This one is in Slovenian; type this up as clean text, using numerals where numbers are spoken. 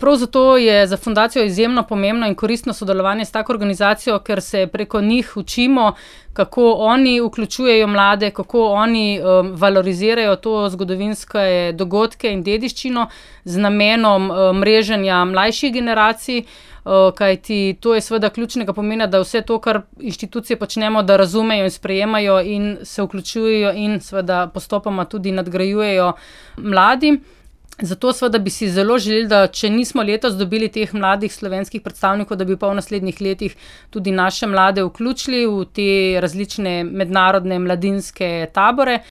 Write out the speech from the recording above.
Prav zato je za fundacijo izjemno pomembno in koristno sodelovanje s tako organizacijo, ker se preko njih učimo, kako oni vključujejo mlade, kako oni valorizirajo to zgodovinske dogodke in dediščino z namenom mreženja mlajših generacij, kajti to je seveda ključnega pomena, da vse to, kar inštitucije počnemo, da razumejo in sprejemajo in se vključujejo in seveda postopoma tudi nadgrajujejo mladi. Zato seveda bi si zelo želeli, da če nismo letos dobili teh mladih slovenskih predstavnikov, da bi pa v naslednjih letih tudi naše mlade vključili v te različne mednarodne mladinske tabore.